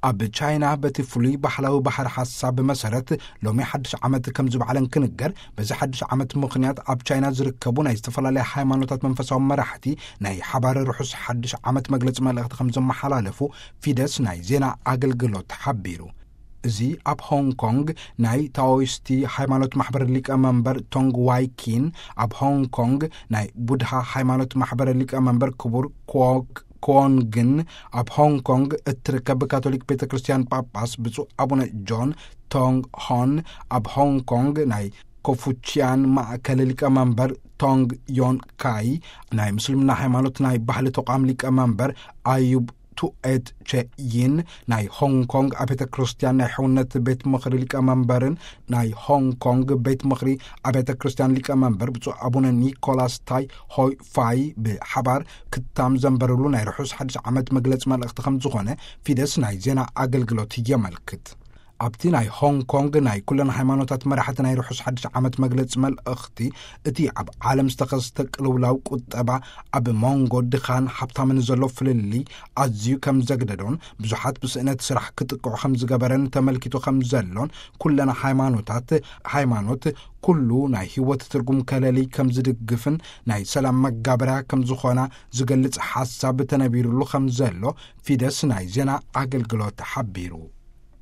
ኣብ ቻይና በቲ ፍሉይ ባህላዊ ባህር ሓሳብ መሰረት ሎሚ ሓድሽ ዓመት ከም ዝበዓለን ክንገር፣ በዚ ሓድሽ ዓመት ምኽንያት ኣብ ቻይና ዝርከቡ ናይ ዝተፈላለያ ሃይማኖታት መንፈሳዊ መራሕቲ ናይ ሓባር ርሑስ ሓድሽ ዓመት መግለጺ መልእኽቲ ከም ዘመሓላለፉ ፊደስ ናይ ዜና ኣገልግሎት ሓቢሩ። እዚ ኣብ ሆንግ ኮንግ ናይ ታኦይስቲ ሃይማኖት ማሕበር ሊቀ መንበር ቶንግ ዋይ ኪን፣ ኣብ ሆንግ ኮንግ ናይ ቡድሃ ሃይማኖት ማሕበር ሊቀ መንበር ክቡር ኮክ ኮንግን፣ ኣብ ሆንግ ኮንግ እትርከብ ካቶሊክ ቤተ ክርስቲያን ጳጳስ ብፁዕ ኣቡነ ጆን ቶንግ ሆን፣ ኣብ ሆንግ ኮንግ ናይ ኮፉቺያን ማእከል ሊቀ መንበር ቶንግ ዮን ካይ፣ ናይ ምስልምና ሃይማኖት ናይ ባህሊ ተቋም ሊቀ መንበር ኣዩብ ቱኤት ቸይን፣ ናይ ሆንግ ኮንግ ኣብ ቤተ ክርስቲያን ናይ ሕውነት ቤት ምኽሪ ሊቀ መንበርን ናይ ሆንግ ኮንግ ቤት ምኽሪ ኣብያተ ክርስቲያን ሊቀ መንበር ብፁዕ ኣቡነ ኒኮላስ ታይ ሆይ ፋይ ብሓባር ክታም ዘንበርሉ ናይ ርሑስ ሓድሽ ዓመት መግለጺ መልእኽቲ ከም ዝኾነ ፊደስ ናይ ዜና ኣገልግሎት የመልክት። ኣብቲ ናይ ሆንግ ኮንግ ናይ ኩለን ሃይማኖታት መራሕቲ ናይ ርሑስ ሓድሽ ዓመት መግለጺ መልእኽቲ፣ እቲ ኣብ ዓለም ዝተኸስተ ቅልውላው ቁጠባ ኣብ መንጎ ድኻን ሃብታምን ዘሎ ፍልልይ ኣዝዩ ከም ዘግደዶን ብዙሓት ብስእነት ስራሕ ክጥቅዑ ከም ዝገበረን ተመልኪቱ ከም ዘሎን፣ ኩለን ሃይማኖታት፣ ሃይማኖት ኩሉ ናይ ህይወት ትርጉም ከለሊ ከም ዝድግፍን ናይ ሰላም መጋበርያ ከም ዝኾና ዝገልጽ ሓሳብ ተነቢሩሉ ከም ዘሎ ፊደስ ናይ ዜና ኣገልግሎት ሓቢሩ።